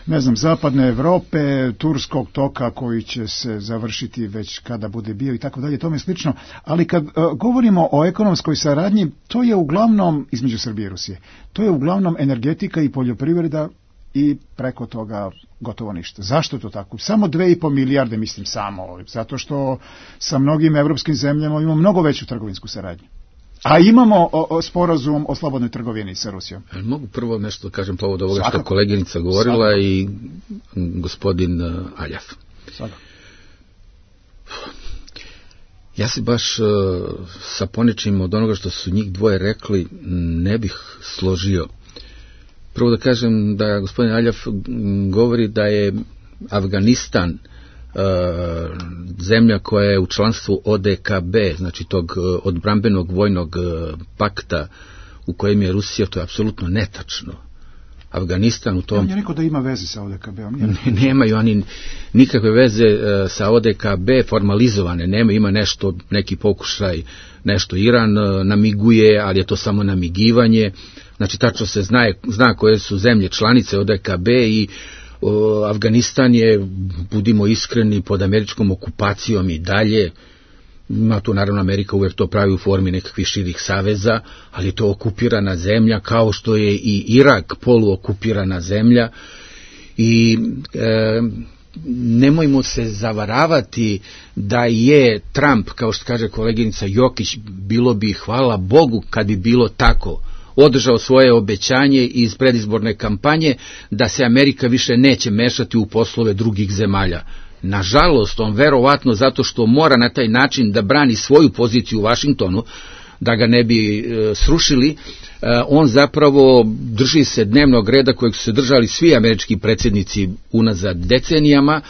ne znam, zapadne Evrope, turskog toka koji će se završiti već kada bude bio i tako dalje, tome slično. Ali kad uh, govorimo o ekonomskoj saradnji, to je uglavnom, između Srbije i Rusije, to je uglavnom energetika i poljoprivreda i preko toga gotovo ništa. Zašto je to tako? Samo dve i po milijarde, mislim samo, zato što sa mnogim evropskim zemljama imamo mnogo veću trgovinsku saradnju. A imamo o, o, sporazum o slobodnoj trgovini sa Rusijom. Mogu prvo nešto da kažem povod ovoga što koleginica govorila Svakako. i gospodin uh, Aljaf. Svakako. Ja se baš uh, sa ponečim od onoga što su njih dvoje rekli ne bih složio. Prvo da kažem da gospodin Aljaf govori da je Afganistan uh, zemlja koja je u članstvu O D K B, znači tog uh, odbrambenog vojnog uh, pakta u kojem je Rusija, to je apsolutno netačno. Afganistan u tom... On je rekao da ima veze sa O D K B-om. Ne, nemaju oni nikakve veze uh, sa O D K B formalizovane, nema, ima nešto, neki pokušaj, nešto Iran uh, namiguje, ali je to samo namigivanje. Znači, tačno se zna, zna koje su zemlje članice O D K B i o, Afganistan je, budimo iskreni, pod američkom okupacijom i dalje. Ima tu, naravno, Amerika uvijek to pravi u formi nekakvih širih saveza, ali je to okupirana zemlja, kao što je i Irak poluokupirana zemlja. I e, nemojmo se zavaravati da je Trump, kao što kaže koleginica Jokić, bilo bi, hvala Bogu, kad bi bilo tako, održao svoje obećanje iz predizborne kampanje da se Amerika više neće mešati u poslove drugih zemalja. Nažalost, on verovatno zato što mora na taj način da brani svoju poziciju u Vašingtonu, da ga ne bi e, srušili, e, on zapravo drži se dnevnog reda kojeg su se držali svi američki predsjednici unazad decenijama.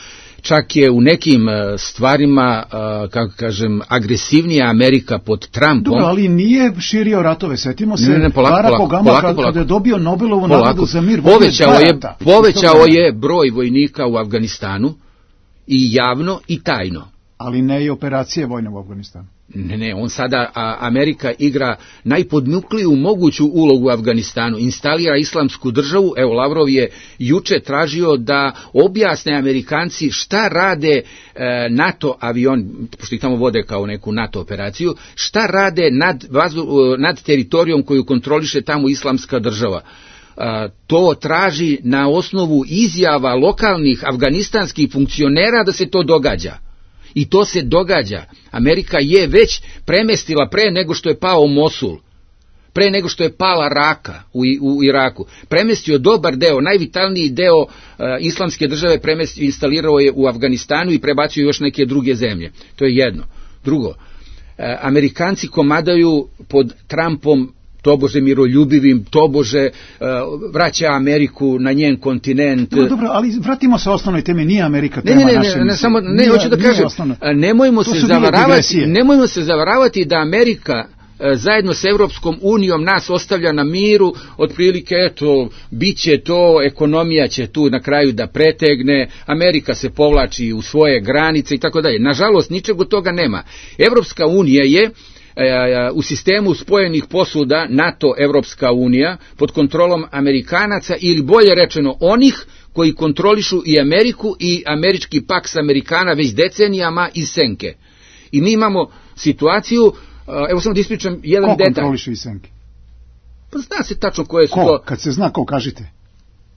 Čak je u nekim stvarima, kako kažem, agresivnija Amerika pod Trumpom. Dobro, ali nije širio ratove. Setimo se, ne, ne, polako, Barack polako, Obama polako, kada polako. je dobio Nobelovu polako. nagradu za mir. Povećao je, povećao je broj vojnika u Afganistanu i javno i tajno. Ali ne i operacije vojne u Afganistanu. Ne, ne, on sada, a, Amerika igra najpodmukliju moguću ulogu u Afganistanu, instalira islamsku državu. Evo, Lavrov je juče tražio da objasne Amerikanci šta rade e, NATO avion, pošto ih tamo vode kao neku NATO operaciju, šta rade nad, vazu, nad teritorijom koju kontroliše tamo islamska država. A, to traži na osnovu izjava lokalnih afganistanskih funkcionera da se to događa. I to se događa. Amerika je već premestila pre nego što je pao Mosul, pre nego što je pala Raka u, u Iraku. Premestio dobar deo, najvitalniji deo uh, islamske države premestio, instalirao je u Afganistanu i prebacio još neke druge zemlje. To je jedno. Drugo, uh, Amerikanci komadaju pod Trumpom tobože miroljubivim, tobože uh, vraća Ameriku na njen kontinent. Dobro, dobro, ali vratimo se osnovnoj temi, nije Amerika tema ne, ne, ne, našem... Ne, ne, samo, ne, nije, hoću da kažem, osnovno. nemojmo se, zavaravati, nemojmo se zavaravati da Amerika zajedno s Evropskom unijom nas ostavlja na miru, otprilike, eto, bit će to, ekonomija će tu na kraju da pretegne, Amerika se povlači u svoje granice i tako dalje. Nažalost, ničeg od toga nema. Evropska unija je u sistemu spojenih posuda NATO Evropska unija pod kontrolom Amerikanaca, ili bolje rečeno onih koji kontrolišu i Ameriku i američki paks Amerikana već decenijama iz senke. I mi imamo situaciju, evo samo da ispričam jedan ko detalj. Ko kontroliše iz senke? Pa zna se tačno koje su ko? to... Kad se zna, ko kažite?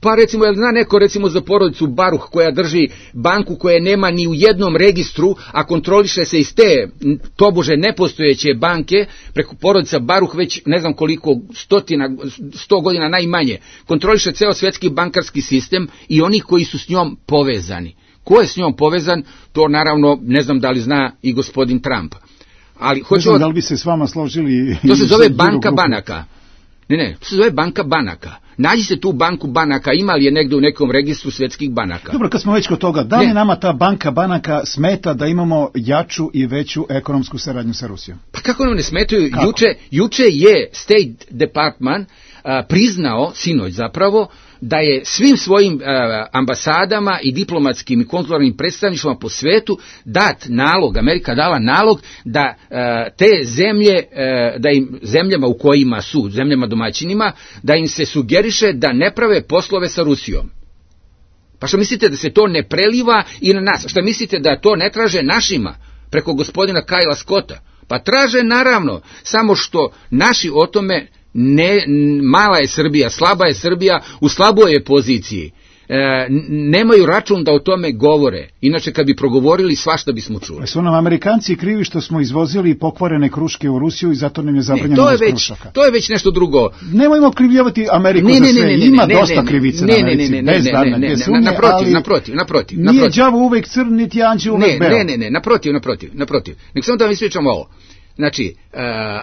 Pa recimo, jel zna neko recimo za porodicu Baruh koja drži banku koja nema ni u jednom registru, a kontroliše se iz te tobože nepostojeće banke, preko porodica Baruh već ne znam koliko stotina, sto godina najmanje, kontroliše ceo svjetski bankarski sistem i oni koji su s njom povezani. Ko je s njom povezan, to naravno ne znam da li zna i gospodin Trump. Ali ne hoću znam od... da li bi se s vama složili... To se zove banka banaka. Ne, ne, to se zove banka banaka. Nađi se tu banku banaka, ima li je negdje u nekom registru svjetskih banaka? Dobro, kad smo već kod toga, da li ne. nama ta banka banaka smeta da imamo jaču i veću ekonomsku saradnju sa Rusijom? Pa kako nam ne smetaju? Juče, juče je State Department a, priznao, sinoć zapravo, da je svim svojim a, ambasadama i diplomatskim i konzularnim predstavništvima po svetu dat nalog, Amerika dala nalog da a, te zemlje, a, da im zemljama u kojima su, zemljama domaćinima, da im se sugeriše da ne prave poslove sa Rusijom. Pa što mislite da se to ne preliva i na nas? Što mislite da to ne traže našima preko gospodina Kajla Scotta? Pa traže naravno, samo što naši o tome ne, mala je Srbija, slaba je Srbija, u slaboj je poziciji. E, nemaju račun da o tome govore. Inače kad bi progovorili svašta bismo čuli. Su nam Amerikanci krivi što smo izvozili pokvarene kruške u Rusiju i zato nam je zabranjeno uvoz krušaka. To je već nešto drugo. Nemojmo krivljavati Ameriku ne, za sve. Ne, ne, ne, Ima ne, dosta ne, krivice ne, na Americi. Ne, ne, ne, ne, ne, ne, ne, naprotiv, naprotiv, naprotiv. Nije đavo uvek crn, niti anđeo uvek beo. Ne, ne, ne, naprotiv, naprotiv, naprotiv. Nek samo da vam ispričam ovo. Znači, uh,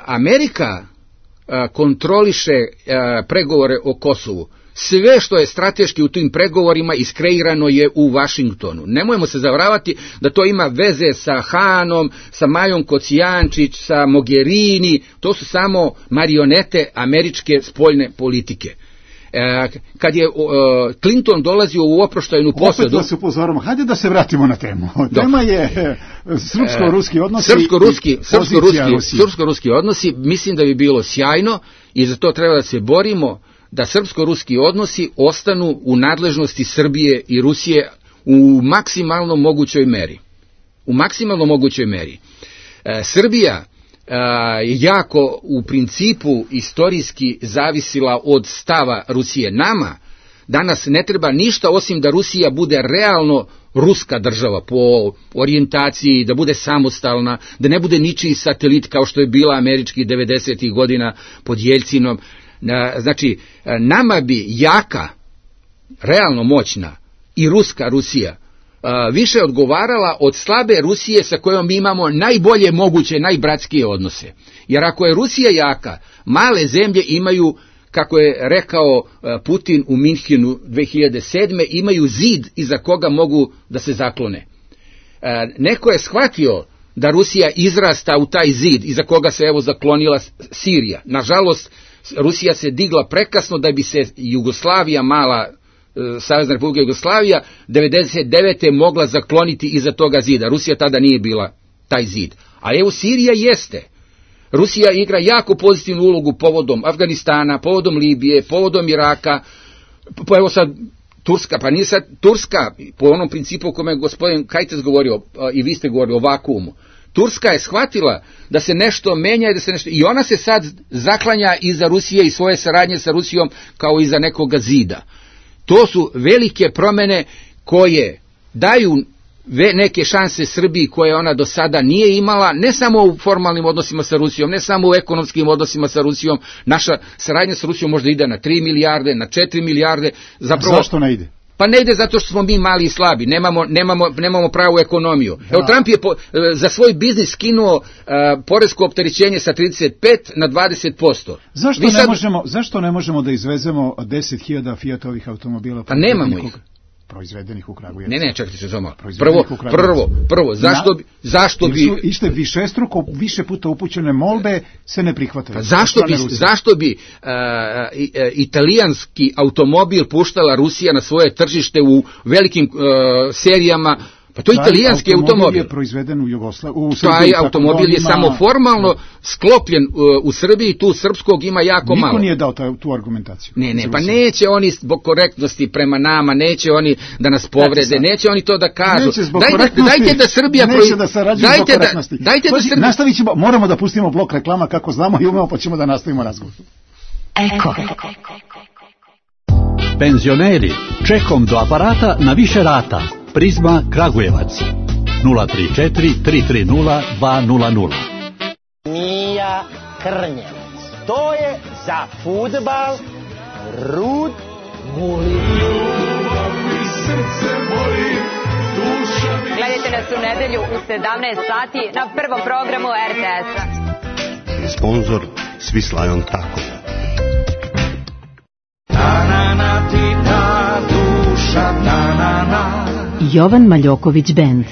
Amerika uh, kontroliše uh, pregovore o Kosovu. Sve što je strateški u tim pregovorima iskreirano je u Vašingtonu. Nemojmo se zavaravati da to ima veze sa Hanom, sa Majom Kocijančić, sa Mogherini. To su samo marionete američke spoljne politike. E, kad je uh, Clinton dolazio u oproštajnu posadu... Opet vas upozoramo, hajde da se vratimo na temu. Tema je srpsko-ruski odnosi srpsko-ruski, srpsko-ruski, srpsko-ruski odnosi. Mislim da bi bilo sjajno i za to treba da se borimo da srpsko-ruski odnosi ostanu u nadležnosti Srbije i Rusije u maksimalno mogućoj meri. U maksimalno mogućoj meri. E, Srbija je jako u principu istorijski zavisila od stava Rusije. Nama danas ne treba ništa osim da Rusija bude realno ruska država po orijentaciji, da bude samostalna, da ne bude ničiji satelit kao što je bila američki devedesetih godina pod Jeljcinom. Znači, nama bi jaka, realno moćna i ruska Rusija više odgovarala od slabe Rusije sa kojom mi imamo najbolje moguće, najbratskije odnose. Jer ako je Rusija jaka, male zemlje imaju, kako je rekao Putin u Minhenu dve hiljade sedme, imaju zid iza koga mogu da se zaklone. Neko je shvatio da Rusija izrasta u taj zid iza koga se evo zaklonila Sirija. Nažalost, Rusija se digla prekasno da bi se Jugoslavija, mala Savezna Republika Jugoslavija, devedeset devete mogla zakloniti iza toga zida. Rusija tada nije bila taj zid. A evo Sirija jeste. Rusija igra jako pozitivnu ulogu povodom Afganistana, povodom Libije, povodom Iraka, po, evo sad Turska, pa nije sad Turska, po onom principu o kome je gospodin Kajtes govorio, i vi ste govorili o vakuumu. Turska je shvatila da se nešto menja i da se nešto, i ona se sad zaklanja iza Rusije i svoje saradnje sa Rusijom kao iza nekoga zida. To su velike promene koje daju neke šanse Srbiji koje ona do sada nije imala, ne samo u formalnim odnosima sa Rusijom, ne samo u ekonomskim odnosima sa Rusijom. Naša saradnja sa Rusijom možda ide na tri milijarde, na četiri milijarde. Zapravo, zašto ne ide? Pa ne ide zato što smo mi mali i slabi, nemamo, nemamo, nemamo pravu ekonomiju. Da. Evo, Trump je po, za svoj biznis skinuo uh, poresko opterećenje sa trideset pet na dvadeset posto. Zašto, ne, sad... možemo, zašto ne možemo da izvezemo deset hiljada Fiatovih automobila? Pa nemamo ih. Proizvedenih u Kragujevcu. Ne, ne, čekajte se samo. Prvo, prvo, prvo, zašto bi, zašto bi... Ište višestruko, više puta upućene molbe se ne prihvataju. Pa zašto bi, zašto bi uh, italijanski automobil puštala Rusija na svoje tržište u velikim uh, serijama? Pa to je italijanski automobil. Automobil je proizveden u Jugoslaviji. Taj automobil je samo formalno sklopljen uh, u Srbiji, tu srpskog ima jako Niko malo. Niko nije dao taj, tu argumentaciju. Ne, ne, pa neće oni zbog korektnosti prema nama, neće oni da nas povrede, neće oni to da kažu. Neće zbog dajte, korektnosti, dajte da Srbija neće proiz... da sarađuje zbog korektnosti. Da, dajte da Srbija... Nastavit ćemo, moramo da pustimo blok reklama kako znamo i umemo, pa ćemo da nastavimo razgovor. Eko. Penzioneri, čekom do aparata na više rata. Prizma Kragujevac nula tri četiri tri tri nula dva nula nula. Mija Krnjevac. To je za fudbal Rud Guli. Gledajte nas u nedelju u sedamnaest sati na prvom programu er te es-a. Sponzor Svislajon Tako. Jovan Maljoković Band.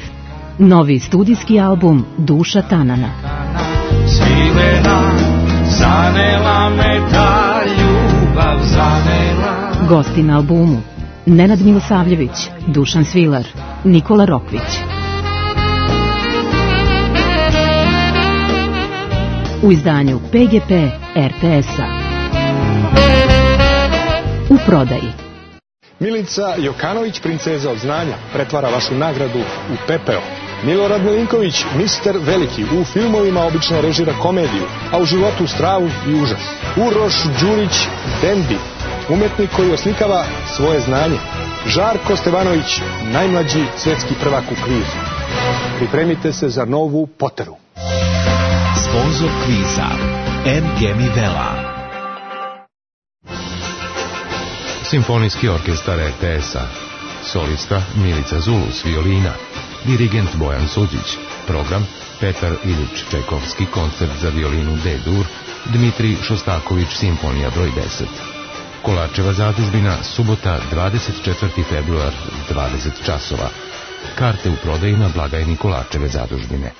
Novi studijski album Duša Tanana. Svilena, zanela me ta ljubav, zanela. Gosti na albumu: Nenad Milosavljević, Dušan Svilar, Nikola Rokvić. U izdanju pe ge pe er te es-a. U prodaji. Milica Jokanović, princeza od znanja, pretvara vašu nagradu u pepeo. Milorad Milinković, mister Veliki, u filmovima obično režira komediju, a u životu stravu i užas. Uroš Đurić, Dendi, umetnik koji oslikava svoje znanje. Žarko Stevanović, najmlađi svetski prvak u kvizu. Pripremite se za novu Poteru. Sponzor kviza em ge mi Vela. Simfonijski orkestar er te es-a. Solista Milica Zulus, violina. Dirigent Bojan Suđić. Program Petar Ilić Čajkovski, koncert za violinu D-dur. Dmitrij Šostaković, simfonija broj deset. Kolarčeva zadužbina, subota dvadeset četvrti februar, dvadeset časova. Karte u prodaji na blagajni Kolarčeve zadužbine.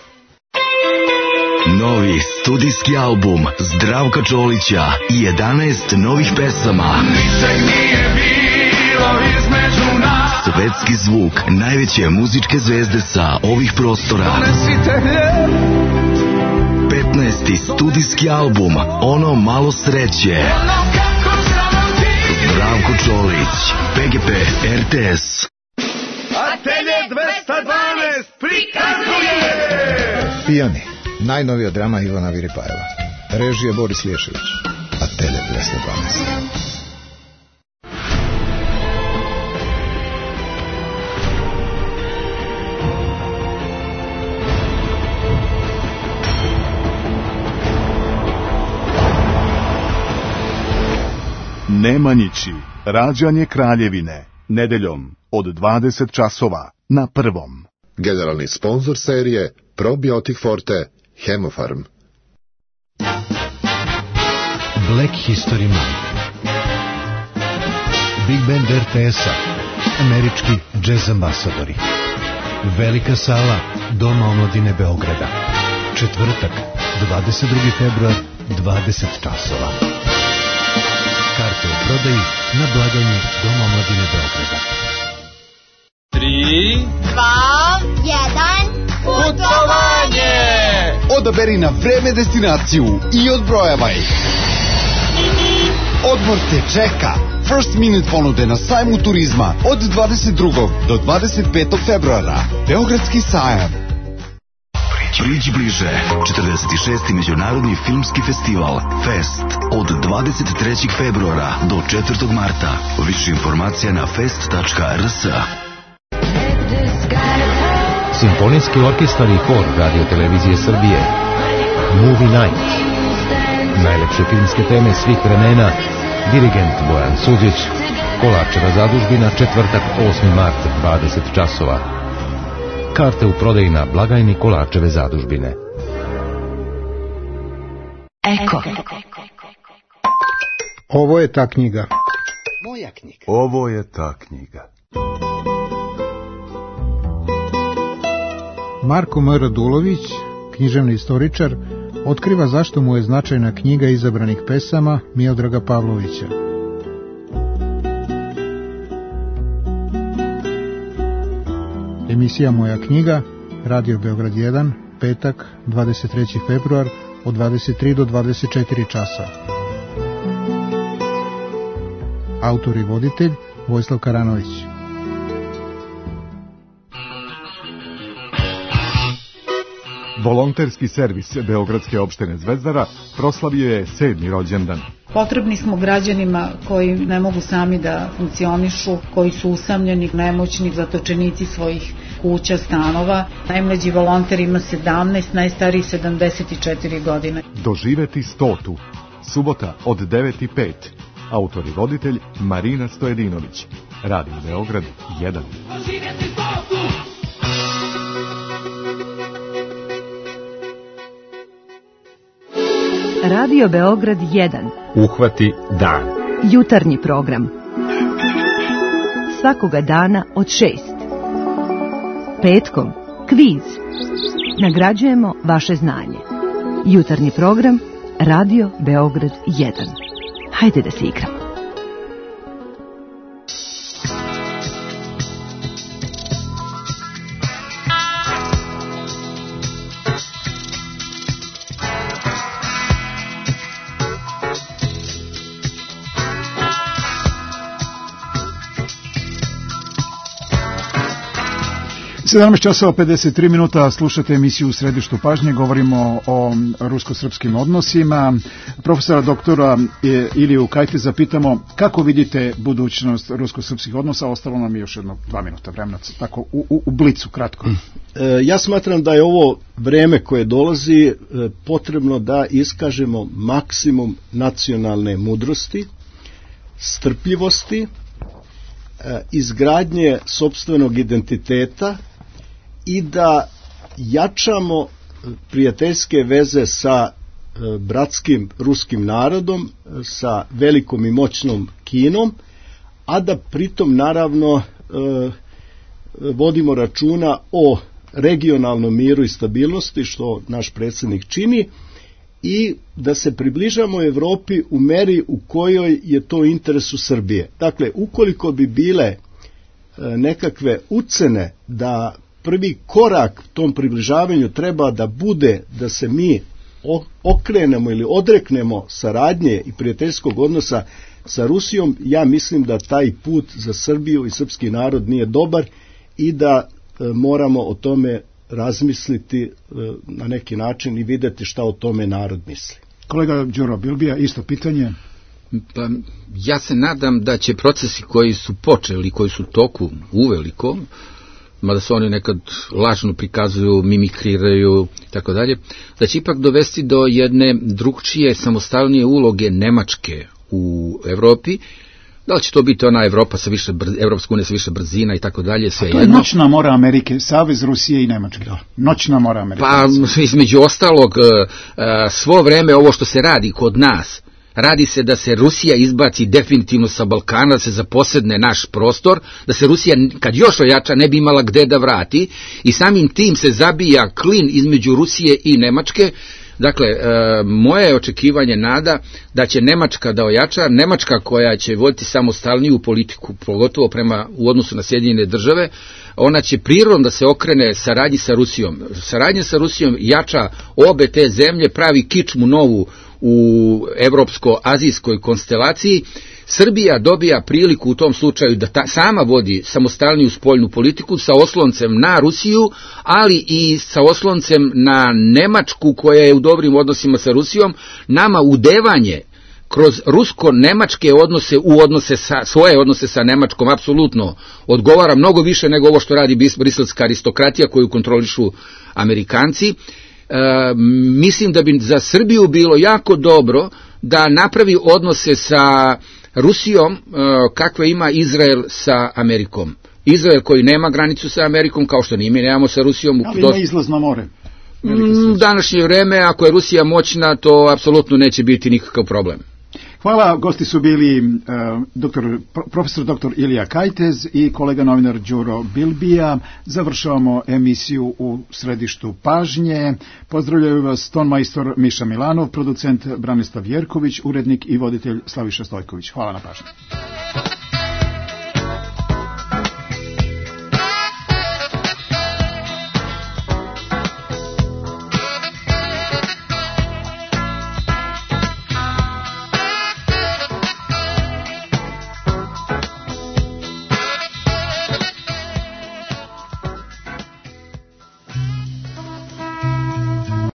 Novi studijski album Zdravka Čolića i jedanaest novih pesama. Ničeg nije bilo između nas. Svetski zvuk najveće muzičke zvezde sa ovih prostora. petnaesti studijski album Ono malo sreće. Zdravko Čolić, pe ge pe er te es. Atelje dvesta dvanaest prikazuje Pijani, najnovija drama Ivana Viripajeva. Režija Boris Lješević. Atelje dvesta dvanaest. Nemanjići, rađanje Kraljevine, nedeljom od dvadeset časova na Prvom. Generalni sponzor serije Probiotik Forte, Hemofarm. Black History Month. Big Band er te es-a, američki jazz ambasadori. Velika sala Doma omladine Beograda. Četvrtak, dvadeset drugi februar, dvadeset časova. Karte u prodaji na blagajni Doma omladine Beograda. Tri, dva, jedan, putovanje! Odaberi na vreme destinaciju i odbrojavaj. Odmor te čeka. First Minute ponude na sajmu turizma od dvadeset drugog do dvadeset petog februara. Beogradski sajam. Priđi bliže. četrdeset šesti Međunarodni filmski festival Fest od dvadeset trećeg februara do četvrtog marta. Više informacija na fest tačka er es. Simfonijski orkestar i hor Radio Televizije Srbije. Movie Night. Najlepše filmske teme svih vremena. Dirigent Bojan Suđić. Kolarčeva zadužbina, četvrtak osmi mart, dvadeset časova. Karte u prodaji na blagajni Kolarčeve zadužbine. Eko. Ovo je ta knjiga. Moja knjiga. Ovo je ta knjiga. Marko M. Radulović, književni istoričar, otkriva zašto mu je značajna knjiga izabranih pesama Miodraga Pavlovića. Emisija Moja knjiga, Radio Beograd jedan, petak, dvadeset treći februar, od dvadeset tri do dvadeset četiri časa. Autor i voditelj Vojislav Karanović. Volonterski servis Beogradske opštine Zvezdara proslavio je sedmi rođendan. Potrebni smo građanima koji ne mogu sami da funkcionišu, koji su usamljeni, nemoćni, zatočenici svojih kuća, stanova. Najmlađi volonter ima sedamnaest, najstariji sedamdeset četiri godine. Doživeti stotu. Subota od devet i pet. Autor i voditelj Marina Stojedinović. Radio Beograd jedan. Doživeti stotu! Radio Beograd jedan. Uhvati dan. Jutarnji program. Svakoga dana od šest. Petkom kviz. Nagrađujemo vaše znanje. Jutarnji program Radio Beograd jedan. Hajde da se igramo. sedamnaest časova pedeset tri minuta, slušate emisiju U središtu pažnje, govorimo o rusko-srpskim odnosima. Profesora doktora Iliju Kajteza pitamo kako vidite budućnost rusko-srpskih odnosa, ostalo nam je još jedno dva minuta vremena, tako u, u, u blicu, kratko. E, ja smatram da je ovo vreme koje dolazi e, potrebno da iskažemo maksimum nacionalne mudrosti, strpljivosti, e, izgradnje sopstvenog identiteta i da jačamo prijateljske veze sa bratskim ruskim narodom, sa velikom i moćnom Kinom, a da pritom naravno vodimo računa o regionalnom miru i stabilnosti, što naš predsjednik čini, i da se približamo Evropi u meri u kojoj je to u interesu Srbije. Dakle, ukoliko bi bile nekakve ucene da prvi korak tom približavanju treba da bude da se mi okrenemo ili odreknemo saradnje i prijateljskog odnosa sa Rusijom, ja mislim da taj put za Srbiju i srpski narod nije dobar i da e, moramo o tome razmisliti e, na neki način i videti šta o tome narod misli. Kolega Đuro Bilbija, isto pitanje. Pa, ja se nadam da će procesi koji su počeli, koji su toku uveliko, mada se oni nekad lažno prikazuju, mimikriraju i tako dalje, da će ipak dovesti do jedne drugčije, samostalnije uloge Nemačke u Evropi. Da li će to biti ona Evropa sa više brz, Evropska unija sa više brzina i tako dalje, sve jedno. To je noćna mora Amerike, Savez Rusije i Nemačke. Noćna mora Amerike. Pa između ostalog, svo vreme ovo što se radi kod nas, radi se da se Rusija izbaci definitivno sa Balkana, da se zaposedne naš prostor, da se Rusija, kad još ojača, ne bi imala gde da vrati i samim tim se zabija klin između Rusije i Nemačke. Dakle, e, moje je očekivanje, nada, da će Nemačka da ojača, Nemačka koja će voditi samostalniju politiku, pogotovo prema u odnosu na Sjedinjene države, ona će prirodno da se okrene saradnji sa Rusijom. Saradnja sa Rusijom jača obe te zemlje, pravi kičmu novu u evropsko-azijskoj konstelaciji. Srbija dobija priliku u tom slučaju da ta, sama vodi samostalniju spoljnu politiku sa osloncem na Rusiju, ali i sa osloncem na Nemačku koja je u dobrim odnosima sa Rusijom. Nama udevanje kroz rusko-nemačke odnose u odnose sa, svoje odnose sa Nemačkom apsolutno odgovara mnogo više nego ovo što radi briselska aristokratija koju kontrolišu Amerikanci. E, mislim da bi za Srbiju bilo jako dobro da napravi odnose sa Rusijom e, kakve ima Izrael sa Amerikom. Izrael koji nema granicu sa Amerikom, kao što ni mi nemamo sa Rusijom. Ali ima izlaz na more. U današnje vreme, ako je Rusija moćna, to apsolutno neće biti nikakav problem. Hvala, gosti su bili uh, doktor, profesor doktor Ilija Kajtez i kolega novinar Đuro Bilbija. Završavamo emisiju u središtu pažnje. Pozdravljaju vas tonmajstor Miša Milanov, producent Branislav Jerković, urednik i voditelj Slaviša Stojković. Hvala na pažnji.